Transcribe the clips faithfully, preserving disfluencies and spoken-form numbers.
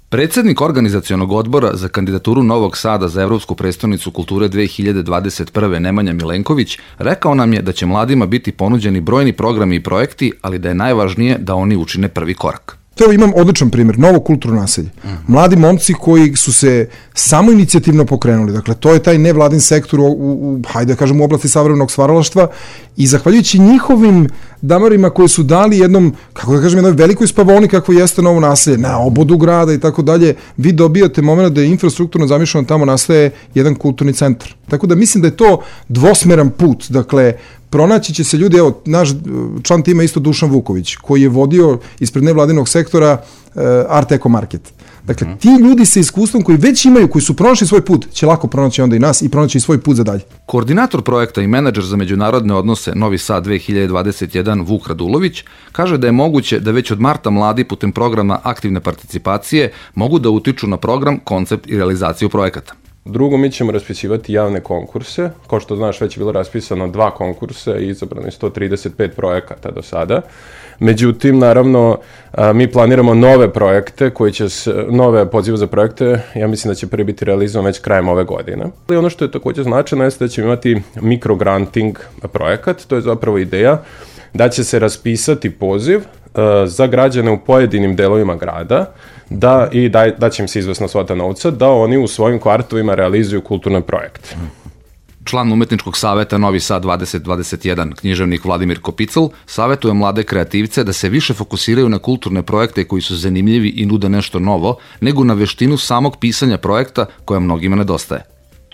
Predsednik organizacionog odbora za kandidaturu Novog Sada za Evropsku prestonicu kulture dve hiljade dvadeset prve. Nemanja Milenković rekao nam je da će mladima biti ponuđeni brojni programi i projekti, ali da je najvažnije da oni učine prvi korak. Evo imam odličan primjer, novo kulturno naselje. Mladi momci koji su se samo inicijativno pokrenuli, dakle to je taj nevladin sektor u, u hajde da kažem u oblasti savremenog stvaralaštva i zahvaljujući njihovim damarima koji su dali jednom, kako da kažem, jednoj velikoj spavoni kakvo jeste novo naselje, na obodu grada i tako dalje, vi dobijate moment da je infrastrukturno zamišljeno tamo nastaje jedan kulturni centar. Tako da mislim da je to dvosmeran put, dakle pronaći će se ljudi, evo, naš član tima isto Dušan Vuković, koji je vodio ispred nevladinog sektora uh, Art Eko Market. Dakle, ti ljudi sa iskustvom koji već imaju, koji su pronašli svoj put, će lako pronaći onda i nas i pronaći svoj put za dalje. Koordinator projekta i menadžer za međunarodne odnose Novi Sad dve hiljade dvadeset jedan Vuk Radulović kaže da je moguće da već od marta mladi putem programa aktivne participacije mogu da utiču na program, koncept i realizaciju projekata. Drugo, mi ćemo raspisivati javne konkurse. Kao što znaš, već je bilo raspisano dva konkursa i izabrano je sto trideset pet projekata do sada. Međutim, naravno, mi planiramo nove projekte, koji će, nove pozive za projekte, ja mislim da će prvi biti realizovan već krajem ove godine. I ono što je također značajno jeste da ćemo imati mikrogranting projekat, to je zapravo ideja da će se raspisati poziv za građane u pojedinim delovima grada, da i da, da će im se izvesna svota novca, da oni u svojim kvartovima realizuju kulturne projekte. Član Umetničkog saveta Novi Sad dvadeset dvadeset jedan, književnik Vladimir Kopicl, savetuje mlade kreativce da se više fokusiraju na kulturne projekte koji su zanimljivi i nude nešto novo, nego na veštinu samog pisanja projekta koja mnogima nedostaje.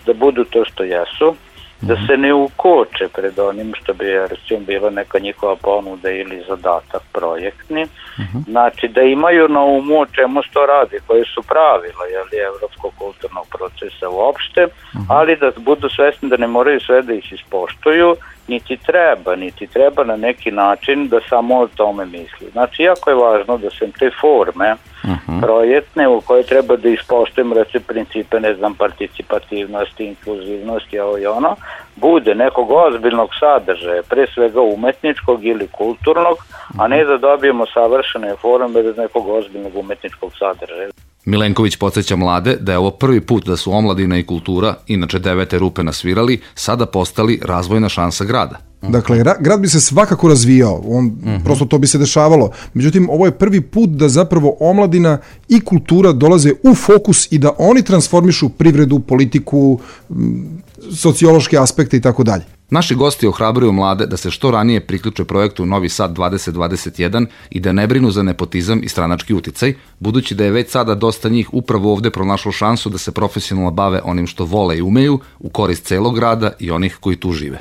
Da budu to što jesu, da se ne ukoče pred onim što bi recimo bila neka njihova ponuda ili zadatak projektni, uh-huh. Znači da imaju na umu o čemu se to radi, koje su pravila jeli, evropskog kulturnog procesa uopšte, uh-huh. Ali da budu svesni da ne moraju sve da ih ispoštuju, niti treba, niti treba na neki način da samo o tome misli. Znači, jako je važno da se te forme uh-huh. projektne u koje treba da ispoštujemo recimo principe, ne znam, participativnosti, inkluzivnosti, ovo i ono, bude nekog ozbiljnog sadržaja, pre svega umetničkog ili kulturnog, a ne da dobijemo savršene forme bez nekog ozbiljnog umetničkog sadržaja. Milenković podsjeća mlade da je ovo prvi put da su omladina i kultura, inače devete rupe nasvirali, sada postali razvojna šansa grada. Dakle, grad bi se svakako razvijao, on, uh-huh. prosto to bi se dešavalo. Međutim, ovo je prvi put da zapravo omladina i kultura dolaze u fokus i da oni transformišu privredu, politiku, sociološke aspekte i tako dalje. Naši gosti ohrabruju mlade da se što ranije priključe projektu Novi Sad dvadeset dvadeset jedan i da ne brinu za nepotizam i stranački uticaj, budući da je već sada dosta njih upravo ovde pronašlo šansu da se profesionalno bave onim što vole i umeju u korist celog grada i onih koji tu žive.